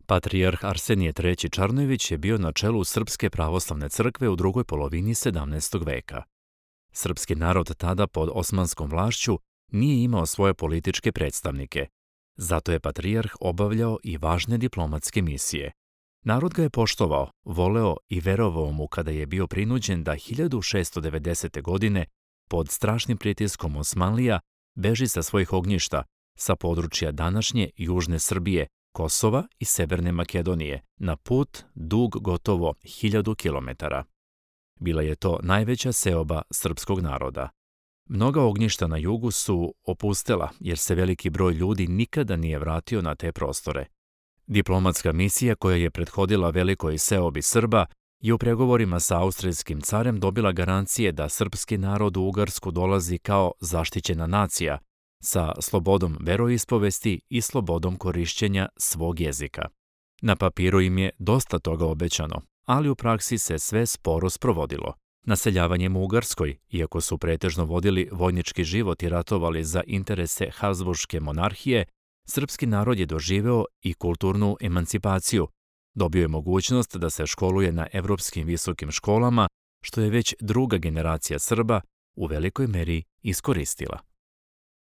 Patrijarh Arsenije III. Čarnojević je bio na čelu Srpske pravoslavne crkve u drugoj polovini 17. veka. Srpski narod tada pod osmanskom vlašću nije imao svoje političke predstavnike. Zato je patrijarh obavljao i važne diplomatske misije. Narod ga je poštovao, voleo i verovao mu kada je bio prinuđen da 1690. godine pod strašnim pritiskom Osmanlija beži sa svojih ognjišta, sa područja današnje južne Srbije, Kosova i Severne Makedonije, na put dug gotovo 1000 kilometara. Bila je to najveća seoba srpskog naroda. Mnoga ognjišta na jugu su opustela jer se veliki broj ljudi nikada nije vratio na te prostore. Diplomatska misija koja je prethodila velikoj seobi Srba je u pregovorima sa austrijskim carem dobila garancije da srpski narod u Ugarsku dolazi kao zaštićena nacija, sa slobodom veroispovesti i slobodom korišćenja svog jezika. Na papiru im je dosta toga obećano, ali u praksi se sve sporo sprovodilo. Naseljavanjem u Ugarskoj, iako su pretežno vodili vojnički život i ratovali za interese Habsburške monarhije, srpski narod je doživeo i kulturnu emancipaciju. Dobio je mogućnost da se školuje na evropskim visokim školama, što je već druga generacija Srba u velikoj meri iskoristila.